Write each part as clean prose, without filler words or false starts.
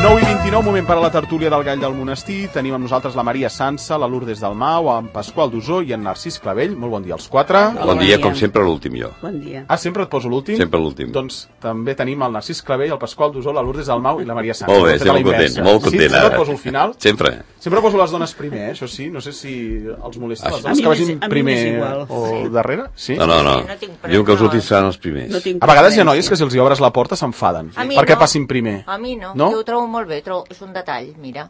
9:29, moment per a la tertúlia del Gall del Monestir. Tenim amb nosaltres la Maria Sansa, la Lourdes Dalmau, en Pasqual Dusó i en Narcís Clavell. Molt bon dia als quatre. Bon dia, com sempre, l'últim jo. Bon dia. Ah, sempre et poso l'últim? Sempre l'últim. Doncs també tenim el Narcís Clavell, el Pasqual Dusó, la Lourdes Dalmau i la Maria Sansa. Molt bé, estic molt content, molt content. Sí, sempre et poso al final. Sempre. Sempre poso les dones primer, això sí. No sé si els molesta les A dones mi que vagin m'és primer igual. o darrere. Sí? No. Diu que els últims seran els primers. No tinc A vegades hi ha preferència. noies que si els hi obres la porta s'enfaden A mi perquè no. passin primer. A mi no, No? jo ho trobo molt bé, és un detall, mira.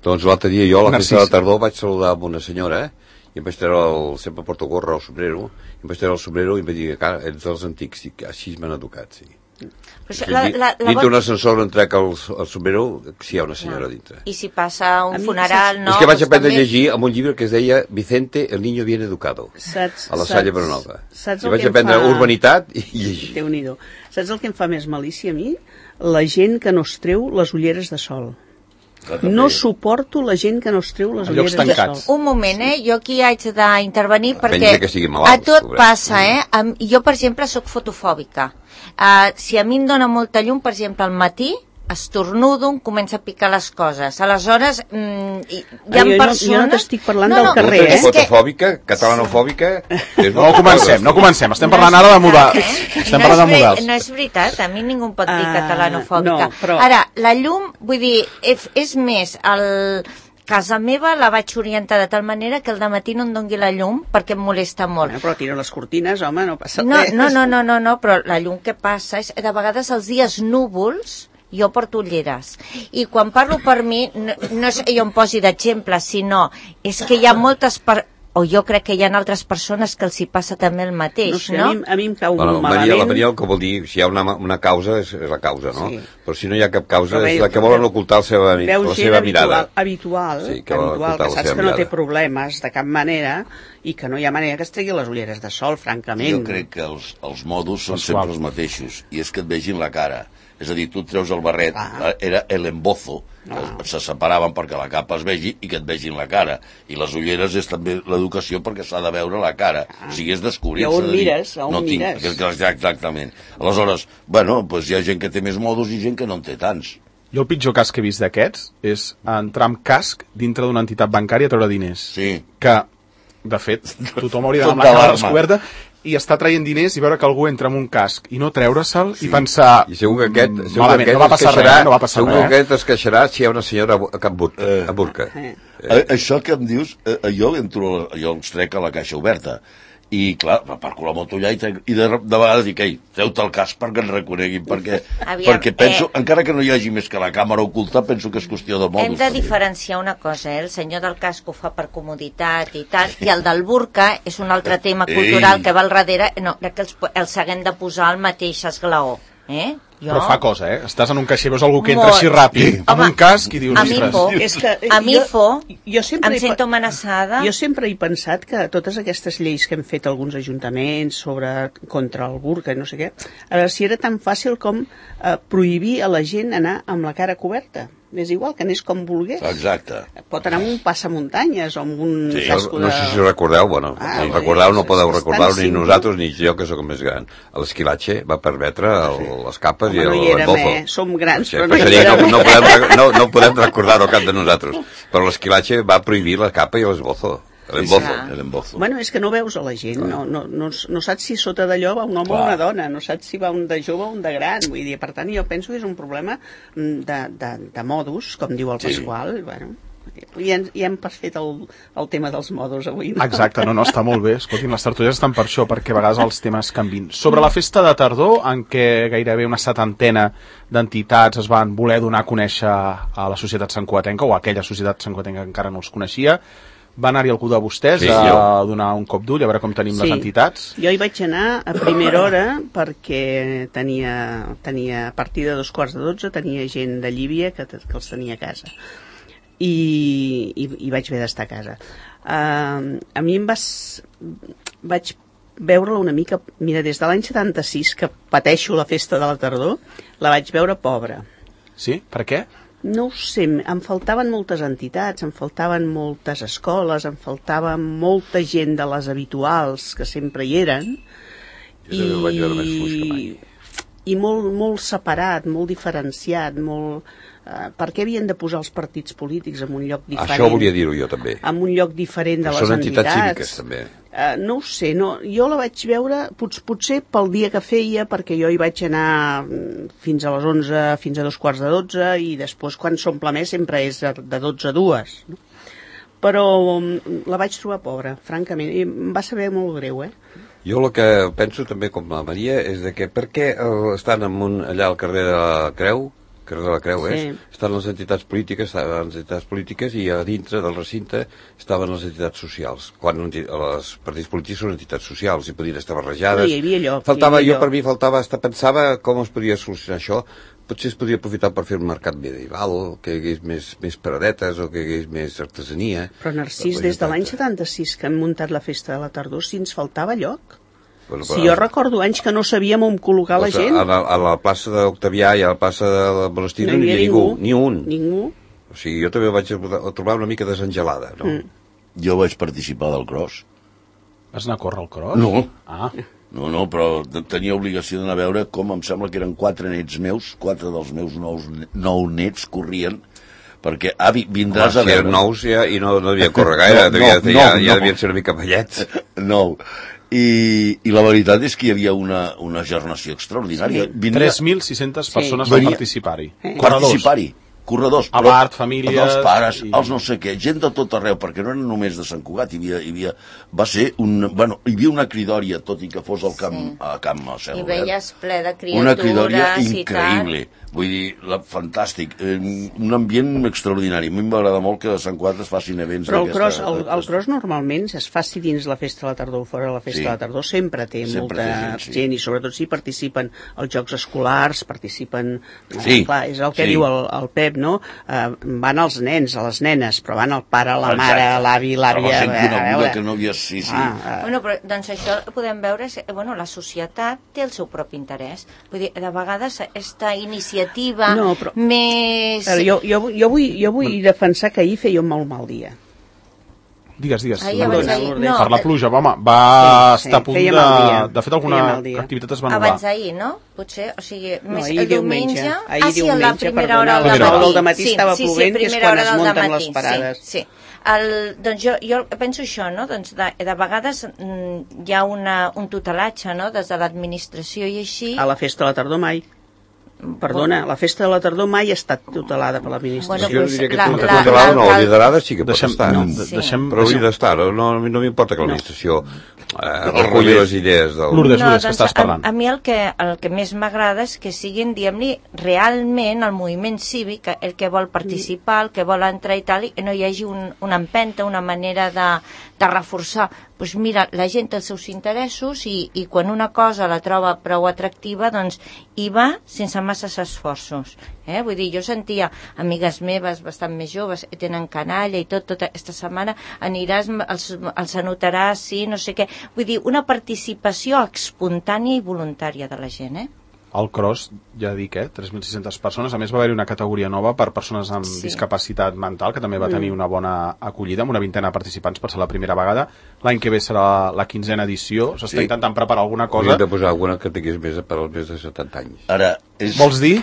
Doncs l'altre dia jo, a la Narcís. festa de tardor, vaig saludar amb una senyora, i em vaig treure sempre porto gorra o sombrero, i em vaig treure el sombrero i em vaig dir que ets dels antics, i que així m'han educat, sí. Però això, Dintre un ascensor on trec el sombrero, si hi ha una senyora dintre. I si passa un A mi funeral, no? És que vaig Doncs aprendre a també- llegir amb un llibre que es deia Vicente, el niño bien educado, Saps, a la Salle Bernova. Saps I el vaig que em aprendre fa... urbanitat i llegir. Déu-n'hi-do. Saps el que em fa més malícia a mi? La gent que no es treu les ulleres de sol. No suporto la gent que no es treu les A llocs ulleres de tancats. sol. Un moment, jo aquí haig d'intervenir perquè Penja que sigui malalt, a tot pobret. passa, Jo, per exemple, sóc fotofòbica. Si a mi em dóna molta llum, per exemple, al matí, estornudo, em comença a picar les coses. Aleshores, hi ha Jo persones... no t'estic parlant del Tu carrer, ets és que- fotofòbica, catalanofòbica... No comencem. Estem parlant ara de model. Estem parlant de models. No és veritat, a mi ningú em pot dir catalanofòbica. no, però- Ara, la llum, vull dir, és més, casa meva la vaig orientar de tal manera que al dematí no em dongui la llum perquè em molesta molt. Bueno, però tira les cortines, home, no passa No, res. no, però la llum que passa és, de vegades els dies núvols, jo porto ulleres. I quan parlo per mi, no és que jo em posi d'exemple, sinó és que hi ha moltes... o jo crec que hi ha altres persones que els hi passa també el mateix, No sé, no? a mi em cau Bueno, molt Maria, la malament. Maria el que vol dir, si hi ha una causa, és la causa, no? Sí. Però si no hi ha cap causa, Però és bé, la que volen ocultar la seva mirada. habitual, Sí, que volen habitual, ocultar que la saps seva que no té mirada. problemes de cap manera i que no hi ha manera que es tregui les ulleres de sol, francament. Jo crec que els modus són Pasqual. sempre els mateixos, i és que et vegin la cara. És a dir, tu et treus el barret, era el embozo, se separaven perquè la capa es vegi i que et vegin la cara. I les ulleres és també l'educació perquè s'ha de veure la cara. O sigui, és descobrir. I a on mires, a on mires. Exactament. Aleshores, bueno, doncs hi ha gent que té més modus i gent que no en té tants. Jo el pitjor cas que he vist d'aquests és entrar amb casc dintre d'una entitat bancària a treure diners. Sí. Que, de fet, tothom hauria d'anar amb Tot la cara d'alarma. descoberta i estar traient diners i veure que algú entra amb un casc i no treure'l i pensar... I segur que aquest, malament, no va passar res, no va passar segur res. que aquest es queixarà si hi ha una senyora a burca. Això que em dius, jo els trec a la caixa oberta. I, clar, m'aparco la moto allà i de vegades dic, ei, treu-te el casc perquè ens reconeguin, perquè penso, encara que no hi hagi més que la càmera oculta, penso que és qüestió de modus. Hem de diferenciar una cosa, el senyor del casc ho fa per comoditat i tal, i el del burca és un altre tema cultural que va al darrere, no, crec que els haguem de posar al mateix esglaó. Però fa cosa, Estàs en un caixer, veus algú que entra Molt. així ràpid, amb Home, un casc i dius, a mi por. És que A mi jo sempre em sento amenaçada. Jo sempre he pensat que totes aquestes lleis que hem fet alguns ajuntaments contra el burca i no sé què, si era tan fàcil com prohibir a la gent anar amb la cara coberta. És igual, que anés com volgués. Exacte. Pot anar amb un passamuntanyes o amb un casco de... No sé si ho recordeu, bueno, no podeu recordar-ho ni nosaltres ni jo, que sóc el més gran. L'esquilatge va permetre les capes i no hi érem, l'embozo. Som grans, però no hi érem. No podem recordar-ho cap de nosaltres. Però l'esquilatge va prohibir la capa i l'esbozo. L'embozo. Bueno, és que no veus a la gent, no saps si sota d'allò va un home o una dona, no saps si va un de jove o un de gran, vull dir, per tant jo penso que és un problema de modus, com diu el Pasqual, bueno, ja hem fet el tema dels modus avui. No? Exacte, no, està molt bé. Escoltin, les tertúlies estan per això, perquè a vegades els temes canvin. Sobre la festa de tardor, en què gairebé una setantena d'entitats es van voler donar a conèixer a la societat santcugatenca, o a aquella societat santcugatenca que encara no els coneixia, va anar-hi algú de vostès a donar un cop d'ull, a veure com tenim les entitats? Jo hi vaig anar a primera hora perquè tenia a partir de 2:45 tenia gent de Llívia que els tenia a casa. I vaig haver d'estar a casa. A mi vaig veure-la una mica... Mira, des de l'any 76 que pateixo la festa de la tardor, la vaig veure pobra. Sí? Per què? No ho sé, em faltaven moltes entitats, em faltaven moltes escoles, em faltava molta gent de les habituals que sempre hi eren. Jo també ho vaig veure més fluix que mai. i molt separat, molt diferenciat, molt... per què havien de posar els partits polítics en un lloc diferent? Això volia dir-ho jo també. En un lloc diferent de les Són entitats. entitats cíviques també. No ho sé, jo la vaig veure potser pel dia que feia, perquè jo hi vaig anar fins a les 11, fins a 2:45, i després quan s'omple més sempre és de 12 a 2. No? Però la vaig trobar pobra, francament, i em va saber molt greu, Jo el que penso també com la Maria és de que per què estan allà al carrer de la Creu, estan les entitats polítiques i a dintre del recinte estaven les entitats socials, quan els partits polítics són entitats socials i podien estar barrejades. No, hi havia lloc. Per mi pensava com es podia solucionar això. Potser es podria aprofitar per fer un mercat medieval, que hi hagués més paradetes o que hi hagués més artesania. Però Narcís, des de l'any 76 que hem muntat la festa de la tardor, si ens faltava lloc. Si jo recordo anys que no sabíem on col·locar la gent. A la plaça d'Octavià i a la plaça de Monestir no hi havia ningú, ni un. Ningú. O sigui, jo també vaig trobar una mica desengelada, no? Jo vaig participar del cross. Vas anar a córrer al cross? No. No, però tenia obligació d'anar a veure com em sembla que eren 4 nets meus, 4 dels meus 9 nets corrien, perquè vindràs a veure... Si eren nous i no devia córrer gaire, ja devien ser una mica vellets. No. I la veritat és que hi havia una gernació extraordinària. 3.600 persones van participar-hi. Corredors, Abart, famílies... Els pares, els no sé què, gent de tot arreu, perquè no eren només de Sant Cugat, hi havia una cridòria, tot i que fos al camp a Cel. I veies ple de criatures. Una cridòria increïble, vull dir, fantàstic, un ambient extraordinari. A mi m'agrada molt que a Sant Cugat es facin events d'aquesta... Però el cross normalment es faci dins la festa de la tardor o fora de la festa de la tardor, sempre té molta gent, i sobretot si participen els jocs escolars, participen... Clar, és el que diu el Pep, no? Van els nens, a les nenes, però van el pare, la mare, l'avi, l'àvia... La gent coneguda que no havia... Sí. Bueno, però doncs això podem veure, la societat té el seu propi interès. Vull dir, de vegades aquesta iniciativa més... Jo vull defensar que ahir feia un molt mal dia. Digues. Per la pluja, home, va estar a punt de fet alguna activitat es va anul·lar. Abans d'ahir, no? Potser, o sigui, més el diumenge. Ahir diumenge, la primera hora del matí estava plovent, que és quan es munten les parades. Sí. Doncs jo penso això, no? Doncs de vegades hi ha un tutelatge, no? Des de l'administració i així... A la festa de la tardor mai. Perdona, la festa de la tardor mai ha estat tutelada per l'administració. Jo diria que tutelada no, liderada sí que pot estar. Però hauria d'estar, no m'importa que l'administració reculli les idees del... Lourdes, que estàs parlant. A mi el que més m'agrada és que siguin, diguem-li, realment el moviment cívic, el que vol participar, el que vol entrar i tal, i no hi hagi una empenta, una manera de reforçar. Doncs mira, la gent té els seus interessos i quan una cosa la troba prou atractiva, doncs hi va sense masses esforços. Vull dir, jo sentia amigues meves bastant més joves, tenen canalla i tota aquesta setmana aniràs, els anotaràs, sí, no sé què. Vull dir, una participació espontània i voluntària de la gent, Al cross, ja dic, 3.600 persones. A més, va haver-hi una categoria nova per persones amb discapacitat mental, que també va tenir una bona acollida, amb una vintena de participants per ser la primera vegada. L'any que ve serà la 15a edició. S'està intentant preparar alguna cosa. Hauríem de posar alguna que tingués per als més de 70 anys. Ara, vols dir?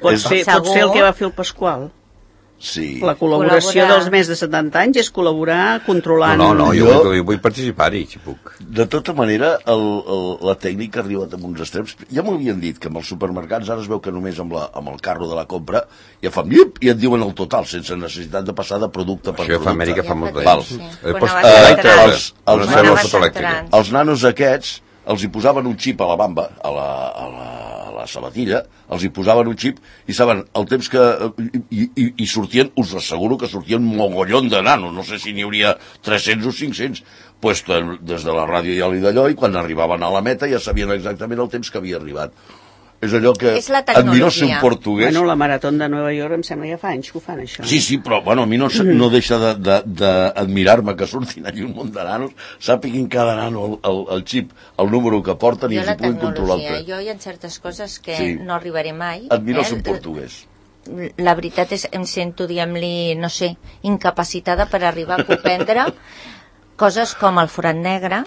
Pot ser el que va fer el Pasqual. Sí. La col·laboració dels més de 70 anys és col·laborar controlant... No, jo vull participar-hi, si puc. De tota manera, la tècnica ha arribat a uns extrems. Ja m'havien dit que amb els supermercats ara es veu que només amb el carro de la compra ja fan iup i et diuen el total, sense necessitat de passar de producte per producte. Això a Amèrica fa molt temps. Els nanos aquests els hi posaven un xip a la bamba, a la sabatilla, els hi posaven un xip i saben el temps que... I sortien, us asseguro que sortien un mogollon de nanos, no sé si n'hi hauria 300 o 500, pues, des de la ràdio ja li d'allò, i quan arribaven a la meta ja sabien exactament el temps que havia arribat. És allò que admiro ser un portuguès. Bueno, la Marató de Nova York em sembla ja fa anys que ho fan, això. Sí, però bueno, a mi no deixa d'admirar-me que surtin allà un munt de nanos, sàpiguin cada nano el xip, el número que porten i els hi puguin controlar el temps. Jo hi ha certes coses que no arribaré mai. Admiro ser un portuguès. La veritat és que em sento, diguem-li, no sé, incapacitada per arribar a comprendre coses com el forat negre,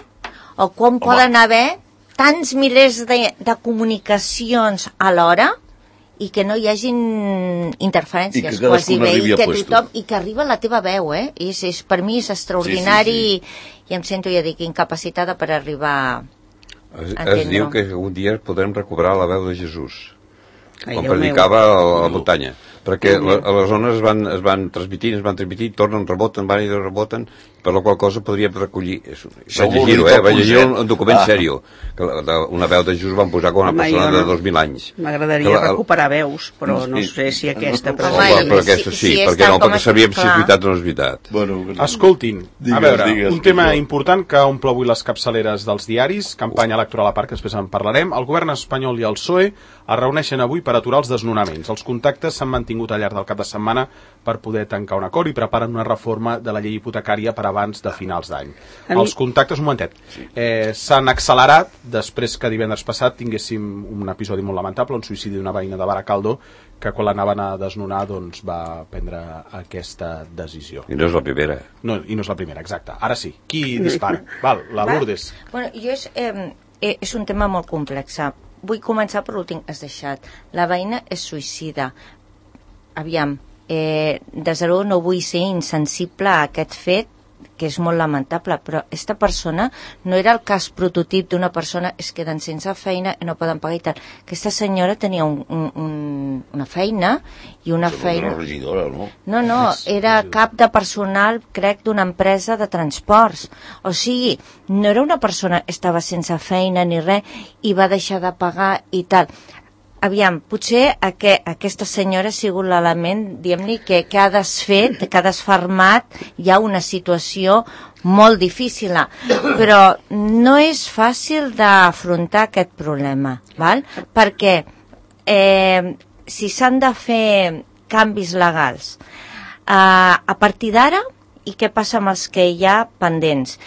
o com poden haver tants milers de comunicacions alhora i que no hi hagin interferències quasi bé, i que tothom, i que arriba la teva veu, per mi és extraordinari, i em sento, ja dic, incapacitada per arribar a entendre-ho. Es diu que un dia podrem recuperar la veu de Jesús, quan predicava a la muntanya, perquè les ones es van transmitir, tornen, reboten, van i reboten, per la qual cosa podríem recollir. Vaig llegir un document sèrio, que una veu de Jesús van posar com una persona de 2.000 anys. M'agradaria recuperar veus, però no sé si aquesta... Però aquesta sí, perquè no, perquè sabíem si és veritat o no és veritat. Escoltin, a veure, un tema important que omple avui les capçaleres dels diaris, campanya electoral a part, que després en parlarem. El govern espanyol i el PSOE es reuneixen avui per aturar els desnonaments. Els contactes s'han mantingut al llarg del cap de setmana per poder tancar un acord i preparen una reforma de la llei hipotecària per abans de finals d'any. Els contactes, un momentet, s'han accelerat després que divendres passat tinguéssim un episodi molt lamentable, un suïcidi d'una veïna de Baracaldo, que quan l'anaven a desnonar doncs, va prendre aquesta decisió. I no és la primera. No, i no és la primera, exacte. Ara sí, qui dispara? Val, la Lourdes. Bueno, és un tema molt complex. Vull començar per l'últim que has deixat. La veïna és suïcida. Aviam, de zero no vull ser insensible a aquest fet, que és molt lamentable, però aquesta persona no era el cas prototip d'una persona es queden sense feina i no poden pagar i tal. Aquesta senyora tenia una feina i una feina... Una regidora, no? No, era cap de personal, crec, d'una empresa de transports. O sigui, no era una persona que estava sense feina ni res i va deixar de pagar i tal. Aviam, potser aquesta senyora ha sigut l'element, diguem-ne, que ha desfet, que ha desfermat ja una situació molt difícil, però no és fàcil d'afrontar aquest problema, val? Perquè si s'han de fer canvis legals a partir d'ara, i què passa amb els que hi ha pendents?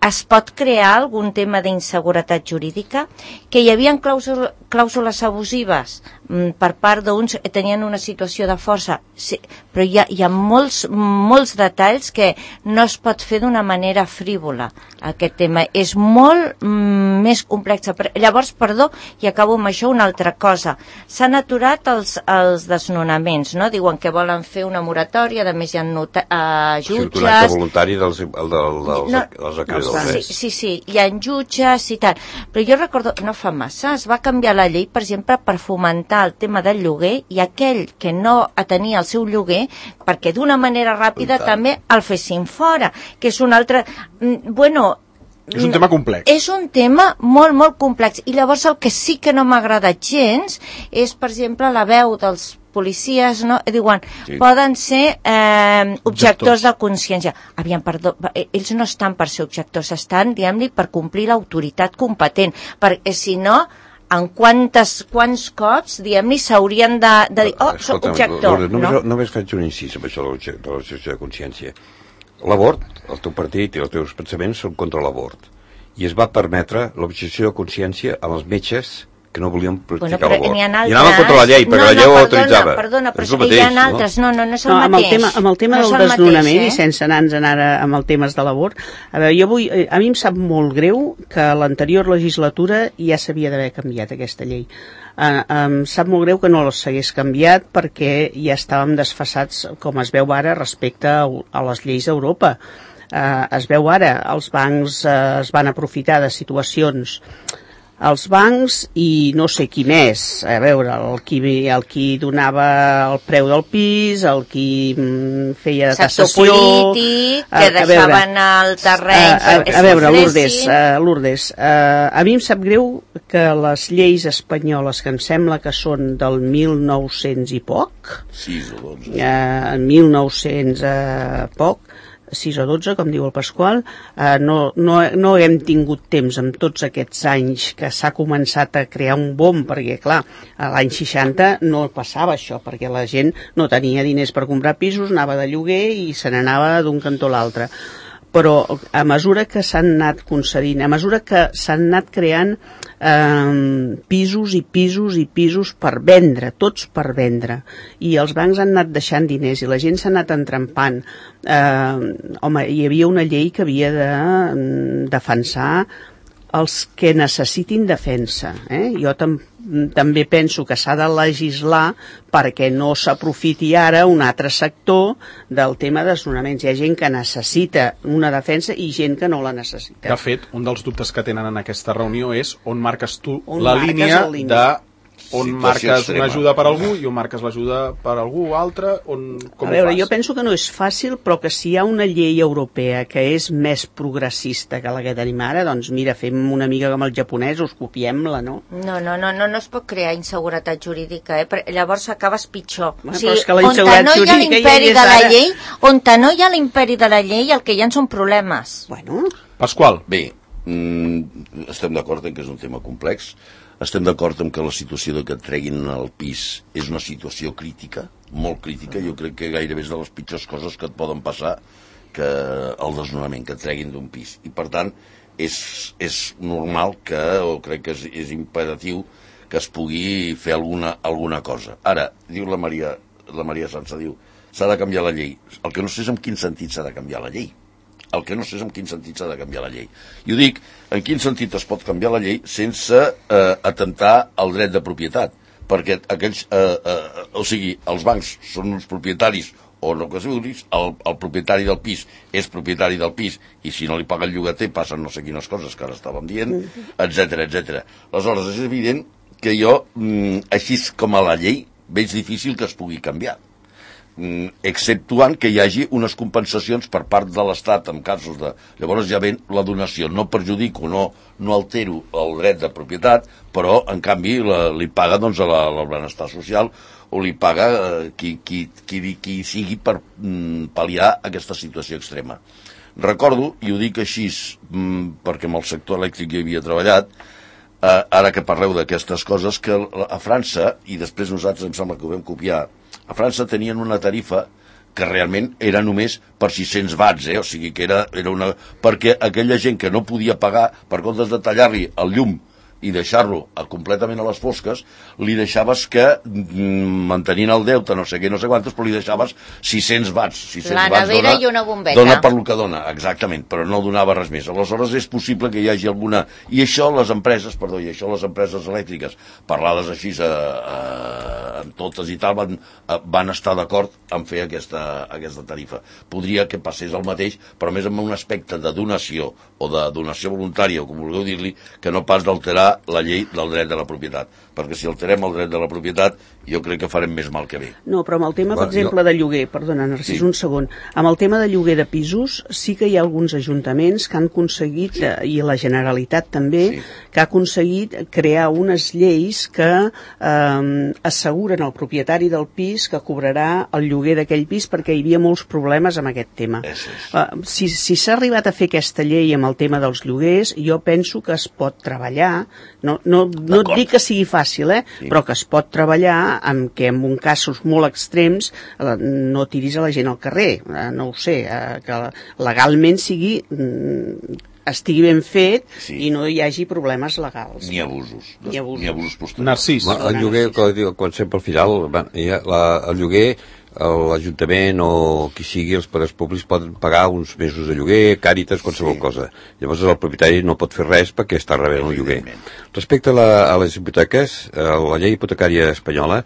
Es pot crear algun tema d'inseguretat jurídica, que hi havia clàusules abusives per part d'uns que tenien una situació de força, sí, però hi ha molts detalls que no es pot fer d'una manera frívola. Aquest tema és molt més complex. Llavors, i acabo amb això, una altra cosa. S'han aturat els desnonaments, no? Diuen que volen fer una moratòria, a més hi ha jutges... Un acte voluntari dels acreedors. Sí, hi ha jutges i tal. Però jo recordo, no fa massa, es va canviar la llei, per exemple, per fomentar el tema del lloguer, i aquell que no tenia el seu lloguer, perquè d'una manera ràpida també el fessin fora, que és un altre... Bueno... És un tema complex. És un tema molt, molt complex. I llavors el que sí que no m'agrada gens és, per exemple, la veu dels policies, no? Diuen, poden ser objectors de consciència. Aviam, perdó, ells no estan per ser objectors, estan, diguem-ne, per complir l'autoritat competent, perquè si no, en quants cops, diguem-ne, s'haurien de dir, soc objector. Només faig un incís amb això de l'objecció de consciència. L'abort, el teu partit i els teus pensaments són contra l'abort. I es va permetre l'objecció de consciència a els metges que no volien practicar l'abort. I anaven contra la llei, perquè la llei ho autoritzava. Perdona, però hi ha altres. No és el mateix. Amb el tema del desnonament, i sense anar-nos ara amb els temes de l'abort, a veure, a mi em sap molt greu que l'anterior legislatura ja s'havia d'haver canviat aquesta llei. Em sap molt greu que no s'hagués canviat perquè ja estàvem desfasats, com es veu ara, respecte a les lleis d'Europa. Es veu ara, els bancs es van aprofitar de situacions, els bancs i no sé qui més, a veure, el qui donava el preu del pis, el qui feia de tassació... Sector polític, que deixaven el terreny... A veure, Lourdes, a mi em sap greu que les lleis espanyoles, que em sembla que són del 1900 i poc, 6 o 12, 1900 poc, 6 o 12, com diu el Pasqual, no hem tingut temps amb tots aquests anys que s'ha començat a crear un boom, perquè clar, a l'any 60 no passava això, perquè la gent no tenia diners per comprar pisos, anava de lloguer i se n'anava d'un cantó a l'altre. Però a mesura que s'han anat concedint, a mesura que s'han anat creant pisos i pisos i pisos per vendre, tots per vendre, i els bancs han anat deixant diners i la gent s'ha anat entrampant, home, hi havia una llei que havia de defensar els que necessitin defensa. Jo també penso que s'ha de legislar perquè no s'aprofiti ara un altre sector del tema de desnonaments. Hi ha gent que necessita una defensa i gent que no la necessita. De fet, un dels dubtes que tenen en aquesta reunió és on marques tu la línia de on marques una ajuda per algú i on marques l'ajuda per algú altre, com a veure, ho fas? Jo penso que no és fàcil, però que si hi ha una llei europea que és més progressista que la que tenim ara, doncs mira, fem una mica com els japonesos, copiem-la, no? No es pot crear inseguretat jurídica, Llavors acabes pitjor. Bueno, però és que la inseguretat jurídica on no hi ha l'imperi de la llei, el que hi ha són problemes. Bueno. Pasqual. Bé, estem d'acord en que és un tema complex. Estem d'acord en que la situació de que et treguin el pis és una situació crítica, molt crítica. Jo crec que gairebé és de les pitjors coses que et poden passar que el desnonament, que et treguin d'un pis. I per tant, és normal o crec que és imperatiu que es pugui fer alguna cosa. Ara, diu la Maria Sansa, diu, s'ha de canviar la llei. El que no sé és en quin sentit s'ha de canviar la llei. El que no sé és en quin sentit s'ha de canviar la llei. I ho dic, en quin sentit es pot canviar la llei sense atentar al dret de propietat. Perquè aquells, els bancs són uns propietaris, o no que es vulguis, el propietari del pis és propietari del pis, i si no li paga el llogater passen no sé quines coses que ara estàvem dient, etc. Aleshores, és evident que jo, així com a la llei, veig difícil que es pugui canviar. Exceptuant que hi hagi unes compensacions per part de l'Estat en casos de... Llavors ja ven la donació, no perjudico, no altero el dret de propietat, però en canvi li paga doncs el benestar social o li paga qui sigui per pal·liar aquesta situació extrema. Recordo, i ho dic així perquè amb el sector elèctric hi havia treballat, ara que parleu d'aquestes coses, que a França, i després nosaltres em sembla que ho vam copiar, a França tenien una tarifa que realment era només per 600 watts, o sigui que era una... perquè aquella gent que no podia pagar, per comptes de tallar-li el llum i deixar-lo completament a les fosques, li deixaves que, mantenint el deute, no sé què, no sé quantes, però li deixaves 600 watts. 600 la nevera i una bombeta. Dona per lo que dona, exactament, però no donava res més. Aleshores és possible que hi hagi alguna... I això les empreses elèctriques, parlades així amb totes i tal, van estar d'acord en fer aquesta tarifa. Podria que passés el mateix, però més amb un aspecte de donació o de donació voluntària, o com vulgueu dir-li, que no pas d'alterar la llei del dret de la propietat, perquè si alterem el dret de la propietat jo crec que farem més mal que bé. No, però amb el tema, per exemple, de lloguer, perdona, Narcís, un segon, amb el tema de lloguer de pisos sí que hi ha alguns ajuntaments que han aconseguit, i la Generalitat també, que ha aconseguit crear unes lleis que asseguren al propietari del pis que cobrarà el lloguer d'aquell pis, perquè hi havia molts problemes amb aquest tema. Si s'ha arribat a fer aquesta llei amb el tema dels lloguers, jo penso que es pot treballar, no et dic que sigui fàcil, però que es pot treballar amb que en casos molt extrems no tiris a la gent al carrer, no ho sé, que legalment estigui ben fet i no hi hagi problemes legals. Ni abusos. Ni abusos posteriors. Narcís. El lloguer, quan sempre al final, el lloguer, l'Ajuntament o qui sigui, els poders públics poden pagar uns mesos de lloguer, Càritas, qualsevol cosa. Llavors el propietari no pot fer res perquè està rebent el lloguer. Respecte a les hipoteques, la llei hipotecària espanyola,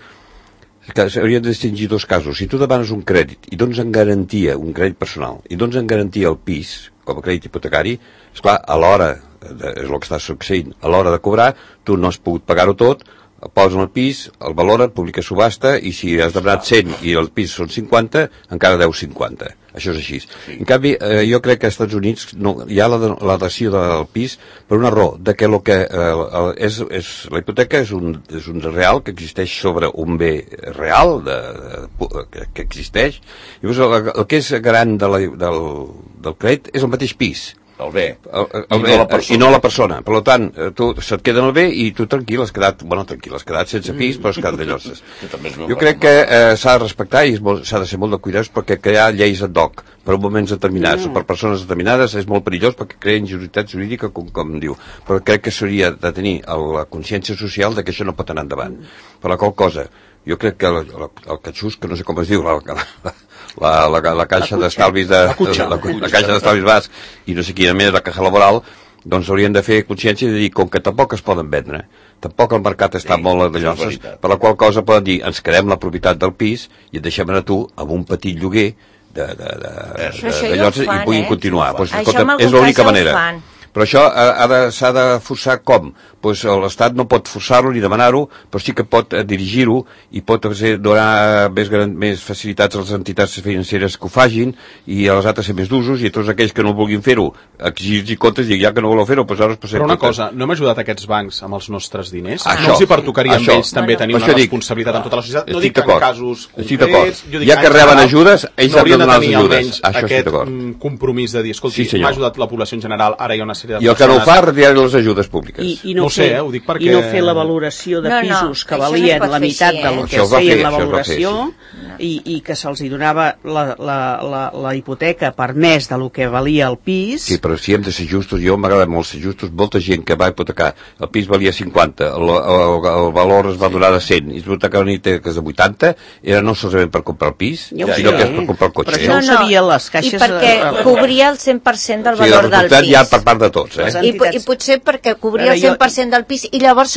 que s'haurien de distingir dos casos. Si tu demanes un crèdit i dones en garantia, un crèdit personal, i dones en garantia el pis, com a crèdit hipotecari, esclar, a l'hora, és el que està succeint, a l'hora de cobrar, tu no has pogut pagar-ho tot, posen el pis, el valoren, publica subhasta, i si has demanat 100 i el pis són 50, encara deus 50. Això és així. En canvi, jo crec que als Estats Units hi ha la dació del pis per una raó, de que la hipoteca és un real que existeix sobre un bé real que existeix. Llavors, el que és garant del crèdit és el mateix pis. El bé, i no la persona. Per tant, se't queda el bé i tu tranquil, has quedat sense pis, però has quedat de lloses. Jo crec que s'ha de respectar i s'ha de ser molt de cuidats perquè crear lleis ad hoc per moments determinats o per persones determinades és molt perillós perquè crea injuritat jurídica, com diu. Però crec que s'hauria de tenir la consciència social de que això no pot anar endavant. Per la qual cosa, jo crec que el catxús, que no sé com es diu, la caixa d'estalvis la caixa d'estalvis basc i no sé quina més, la caja laboral, doncs haurien de fer consciència de dir, com que tampoc es poden vendre, tampoc el mercat està molt de lloses, per la qual cosa poden dir, ens quedem la propietat del pis i et deixem anar tu amb un petit lloguer de lloses i puguin continuar. Pues, escolta, és l'única manera. Però això s'ha de forçar com? Pues l'Estat no pot forçar-lo ni demanar-ho, però sí que pot dirigir-ho i pot donar més facilitats a les entitats financeres que ho fagin i a les altres ser més d'usos i a tots aquells que no vulguin fer-ho exigir comptes i ja que no voleu fer-ho doncs ara però una cosa, no hem ajudat aquests bancs amb els nostres diners? No els hi pertocaria amb ells també tenir una responsabilitat en tota la societat? No dic en casos concrets, ja que reben ajudes ells han de donar les ajudes. Aquest compromís de dir, escolti, m'ha ajudat la població en general, ara hi ha una sèrie de persones... I el que no ho fa, retirar les ajudes públiques. No ho sé, ho dic perquè... I no fer la valoració de pisos que valien la meitat del que es feia la valoració i que se'ls donava la hipoteca per més del que valia el pis. Sí, però si hem de ser justos, jo m'agrada molt ser justos, molta gent que va hipotecar, el pis valia 50, el valor es va donar de 100, i es va hipotecar una hipoteca de 80, era no solament per comprar el pis, sinó que és per comprar el cotxe. Però això ho sabien les caixes... I perquè cobria el 100% del valor del pis. Ja per part de tots, I potser perquè cobria el 100% del pis i llavors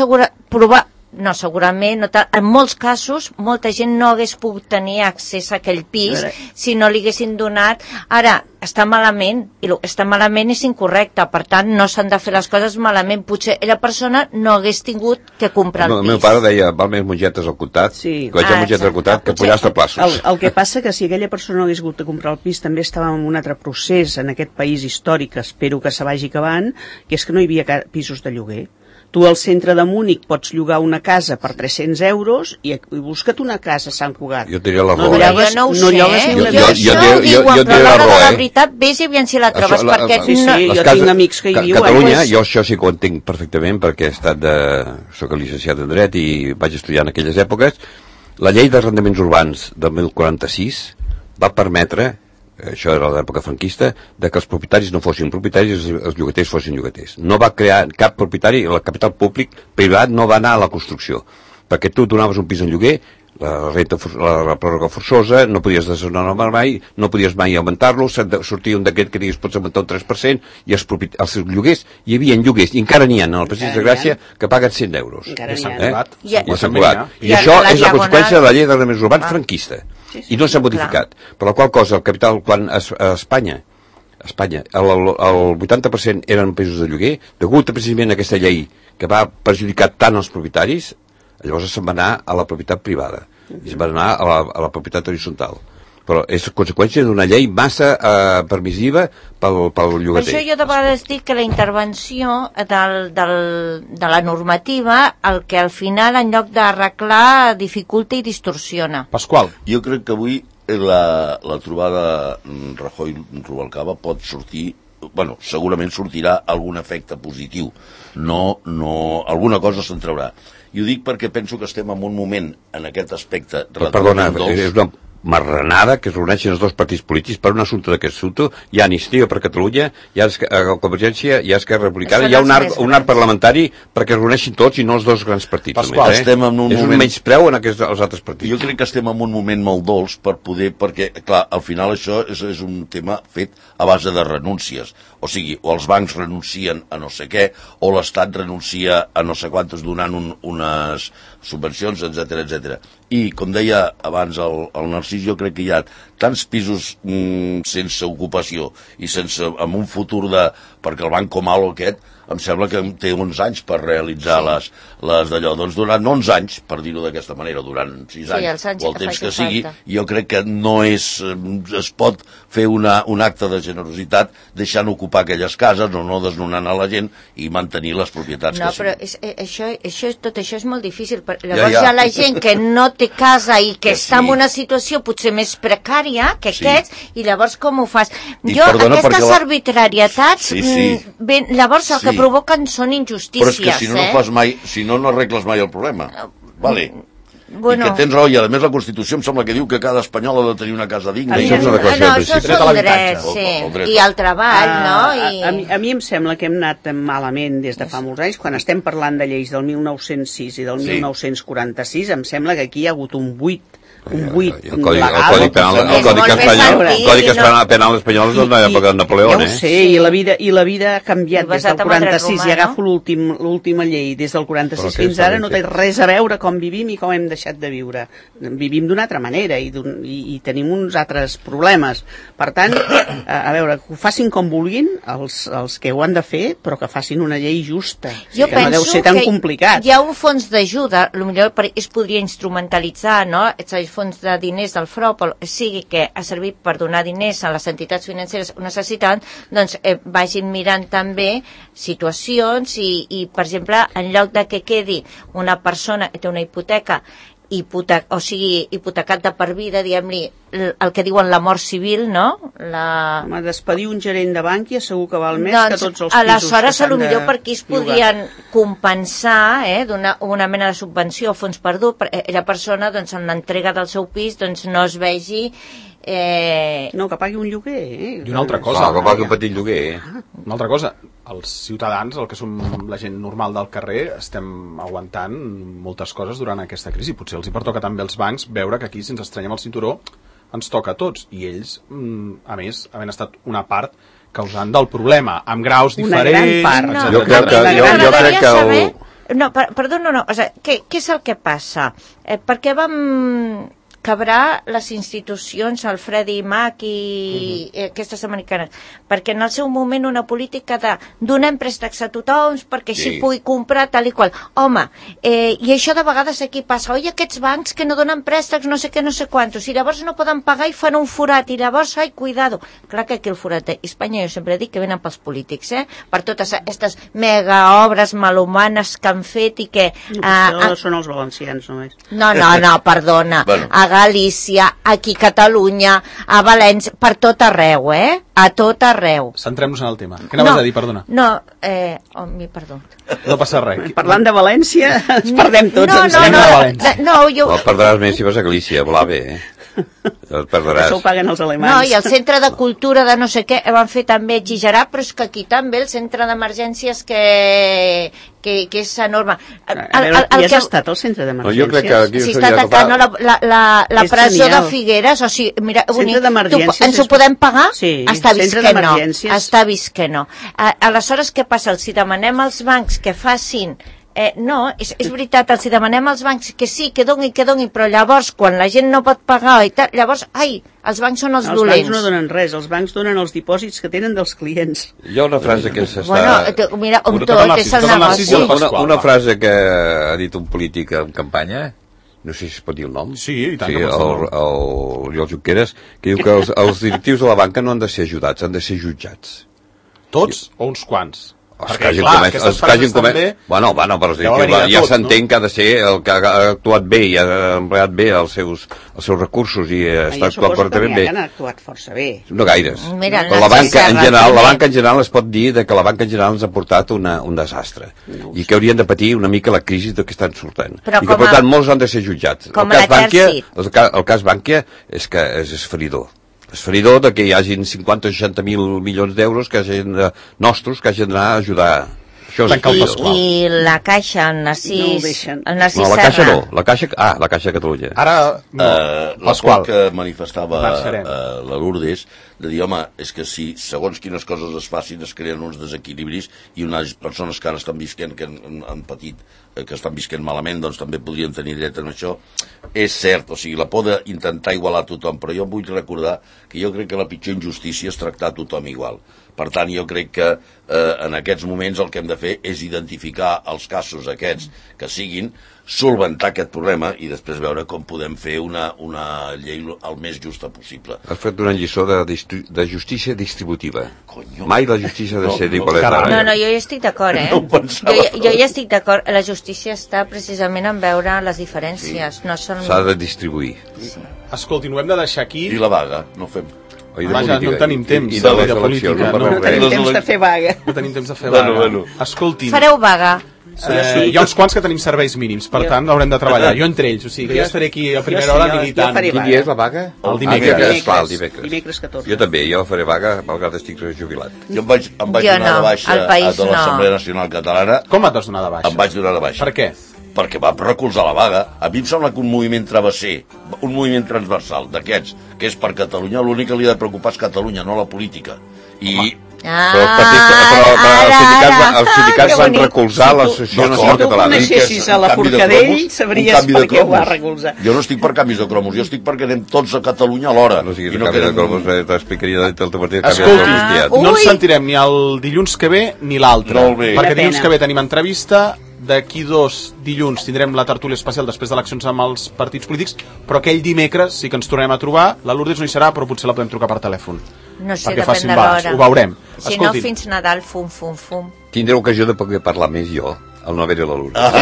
segurament, en molts casos, molta gent no hagués pogut tenir accés a aquell pis si no li haguessin donat. Ara, està malament, i el que està malament és incorrecte, per tant, no s'han de fer les coses malament. Potser la persona no hagués tingut que comprar el pis. El meu pare deia, val més mongetes al comptat, que mongetes al comptat, que pollastre a plaços. El que passa que si aquella persona no hagués hagut de comprar el pis, també estàvem en un altre procés en aquest país històric, espero que se vagi acabant, que és que no hi havia pisos de lloguer. Tu al centre de Múnich pots llogar una casa per 300 euros i busca't una casa a Sant Cugat. Jo diria la raó. No llogues ni una vegada. Jo diria la raó, la veritat, vés i aviam si la trobes, perquè... Jo tinc amics que hi viuen. Catalunya, jo això sí que ho entenc perfectament, perquè soc llicenciat en dret i vaig estudiar en aquelles èpoques. La llei d'arrendaments urbans del 1046 va permetre, això era l'època franquista, de que els propietaris no fossin propietaris i els llogaters fossin llogaters. No va crear cap propietari, el capital públic privat no va anar a la construcció, perquè tu donaves un pis en lloguer, la pròrroga forçosa, no podies desnonar mai, no podies mai augmentar-lo, sortia un decret que digués pots augmentar un 3%, i els lloguers, hi havia lloguers, i encara n'hi ha en el Passeig de Gràcia que paguen 100 euros. Encara n'hi ha. I això és la conseqüència de la llei d'arrendaments urbans franquista. I no s'ha modificat. Per la qual cosa, el capital, quan a Espanya, el 80% eren pisos de lloguer, degut precisament a aquesta llei que va perjudicar tant els propietaris, llavors se'n va anar a la propietat privada i se'n va anar a la propietat horitzontal. Però és conseqüència d'una llei massa permissiva pel llogater. Per això jo de vegades dic que la intervenció de la normativa, el que al final, en lloc d'arreglar, dificulta i distorsiona. Pasqual. Jo crec que avui la trobada Rajoy-Rubalcaba pot sortir, bueno, segurament sortirà algun efecte positiu. Alguna cosa se'n traurà. I ho dic perquè penso que estem en un moment, en aquest aspecte... Perdona, és una marranada que es reuneixen els dos partits polítics per un assumpte d'aquest assumpte. Hi ha Iniciativa per Catalunya, hi ha Convergència, hi ha Esquerra Republicana, hi ha un arc parlamentari perquè es reuneixin tots i no els dos grans partits. Pasqual, estem en un moment... És un menyspreu en els altres partits. Jo crec que estem en un moment molt dolç perquè, clar, al final això és un tema fet a base de renúncies. O sigui, o els bancs renuncien a no sé què, o l'Estat renuncia a no sé quantes donant unes subvencions, etc. I, com deia abans el Narcís, jo crec que hi ha tants pisos sense ocupació i amb un futur perquè el Banco Malo aquest em sembla que té 11 anys per realitzar les d'allò. Doncs durant 11 anys, per dir-ho d'aquesta manera, durant 6 anys, o el temps que sigui, jo crec que no es pot fer un acte de generositat deixant ocupar aquelles cases o no desnonant a la gent i mantenir les propietats que siguin. Tot això és molt difícil. Llavors hi ha la gent que no té casa i que està en una situació potser més precària que aquests, i llavors com ho fas? Aquestes arbitrarietats, llavors el que provoquen són injustícies. Però és que si no fas mai, si no arregles mai el problema. Vale. I que tens raó, i a més la Constitució em sembla que diu que cada espanyol ha de tenir una casa digna. Això són drets, sí. I el treball, no? A mi em sembla que hem anat malament des de fa molts anys. Quan estem parlant de lleis del 1906 i del 1946, em sembla que aquí hi ha hagut un buit un buit El codi penal espanyol és de l'època de Napoleó, Ja ho sé, i la vida ha canviat des del 46, i agafo l'última llei, des del 46 fins ara no té res a veure com vivim i com hem deixat de viure. Vivim d'una altra manera i tenim uns altres problemes. Per tant, a veure, que ho facin com vulguin els que ho han de fer, però que facin una llei justa. Jo que no deu ser tan complicat. Hi ha un fons d'ajuda, potser es podria instrumentalitzar, no? Els fons de diners del FROP, sigui que ha servit per donar diners a les entitats financeres que ho necessiten, doncs vagin mirant també situacions i, per exemple, en lloc de que quedi una persona que té una hipoteca hipotecat de per vida, diguem-li, el que diuen la mort civil, no? Home, despedir un gerent de Bànquia segur que val més que tots els pisos aleshores, potser per aquí es podrien compensar una mena de subvenció o fons perdut, perquè la persona, doncs, en l'entrega del seu pis, doncs, no es vegi no, que pagui un lloguer. I una altra cosa. Que pagui un petit lloguer. Una altra cosa, els ciutadans, el que som la gent normal del carrer, estem aguantant moltes coses durant aquesta crisi. Potser els hi pertoca també als bancs veure que aquí, si ens estrenyem el cinturó, ens toca a tots. I ells, a més, havent estat una part causant del problema, amb graus diferents... Una gran part. Jo crec que... No, perdona, no. O sigui, què és el que passa? Per què vam quebrar les institucions, el Freddie Mac i aquestes americanes? Perquè en el seu moment una política de donem préstecs a tothom perquè així pugui comprar tal i qual. Home, i això de vegades aquí passa. Oi, aquests bancs que no donen préstecs no sé què, no sé quantos, i llavors no poden pagar i fan un forat, i llavors, ai, cuidado. Clar que aquí el forat a Espanya, jo sempre dic que venen pels polítics, per totes aquestes mega obres malhumanes que han fet i que... No són els valencians només. No, perdona. Bueno. A Galícia, aquí a Catalunya, a València, per tot arreu, a tot arreu. Centrem-nos en el tema. Què anaves a dir, perdona? No, perdó. No passa res. Parlant de València, ens perdem tots. No, perdràs més si vas a Galícia, volà bé, Això ho paguen els alemanys. No, i el centre de cultura de no sé què van fer també exagerar, però és que aquí també el centre d'emergències que és enorme. Has estat al centre d'emergències? Jo crec que aquí està atacant la presó de Figueres, o sigui, mira, ens ho podem pagar? Sí, està vist que no. Aleshores, què passa? Si demanem als bancs que facin no, és veritat, els demanem als bancs que sí, que donin, però llavors, quan la gent no pot pagar i tal, llavors, els bancs són els dolents. Els bancs no donen res, els bancs donen els dipòsits que tenen dels clients. Hi ha una frase que s'està... Bueno, mira, tot és el negoci. Una frase que ha dit un polític en campanya, no sé si es pot dir el nom. Sí, i tant que pot dir el nom. Oriol Junqueres, que diu que els directius de la banca no han de ser ajudats, han de ser jutjats. Tots o uns quants? Els que hagin comès... Bueno, però ja s'entén que ha de ser el que ha actuat bé i ha empleat bé els seus recursos i està actuant correctament bé. Jo suposo que han actuat força bé. No gaires. Però la banca en general es pot dir que la banca en general ens ha portat un desastre i que haurien de patir una mica la crisi de que estan sortant. I que, per tant, molts han de ser jutjats. El cas Bànquia és que és esferidor. És feridor de que hi hagin 50 o 60.000 milions d'euros nostres que hagin d'anar a ajudar. I la Caixa, el Narcís no, la Caixa no, la Caixa de Catalunya. Ara, Pasqual, que manifestava la Lourdes, de dir, home, és que si segons quines coses es facin es creen uns desequilibris i unes persones que ara estan visquent, que han patit, que estan visquent malament, doncs també podrien tenir dret en això. És cert, o sigui, la por d'intentar igualar a tothom, però jo vull recordar que jo crec que la pitjor injustícia és tractar a tothom igual. Per tant, jo crec que en aquests moments el que hem de fer és identificar els casos aquests que siguin, solventar aquest problema i després veure com podem fer una llei el més justa possible. Has fet una lliçó de justícia distributiva. Mai la justícia ha de ser d'igualtat. No, jo ja estic d'acord, Jo ja estic d'acord. La justícia està precisament en veure les diferències. S'ha de distribuir. Escolti, ho hem de deixar aquí. I la vaga, no fem... Vaja, no tenim temps de política. No tenim temps de fer vaga. No tenim temps de fer vaga. Escolti'm. Fareu vaga. Hi ha uns quants que tenim serveis mínims, per tant haurem de treballar. Jo entre ells, o sigui, que jo estaré aquí a primera hora militant. Quin dia és la vaga? El dimecres. Dimecres 14. Jo també, jo faré vaga, malgrat estic jubilat. Jo em vaig donar de baixa a tota l'Assemblea Nacional Catalana. Com et vas donar de baixa? Em vaig donar de baixa. Per què? perquè va recolzar la vaga. A mi em sembla que un moviment travesser, un moviment transversal d'aquests, que és per Catalunya, l'únic que li ha de preocupar és Catalunya, no la política. I... Però els sindicats van recolzar l'Associació Nacional Catalana. Si tu coneixessis a la Forcadell, sabries per què ho va recolzar. Jo no estic per canvis de cromos, jo estic perquè anem tots a Catalunya alhora. No siguis canvi de cromos, t'explicaria del teu partit. Escolti, no ens sentirem ni el dilluns que ve ni l'altre, perquè dilluns que ve tenim entrevista, d'aquí 2 dilluns tindrem la tertúlia especial després d'eleccions amb els partits polítics, però aquell dimecres sí que ens tornem a trobar. La Lourdes no hi serà, però potser la podem trucar per telèfon. No sé, perquè depèn de l'hora. Ho veurem. Si no, fins Nadal, fum. Tindré ocasió de poder parlar més jo, el no haver-hi la Lourdes.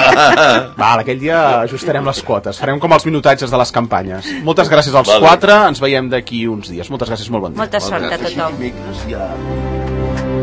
Val, aquell dia ajustarem les quotes. Farem com els minutatges de les campanyes. Moltes gràcies als 4, ens veiem d'aquí uns dies. Moltes gràcies, molt bon dia. Molta sort a tothom. Gràcies.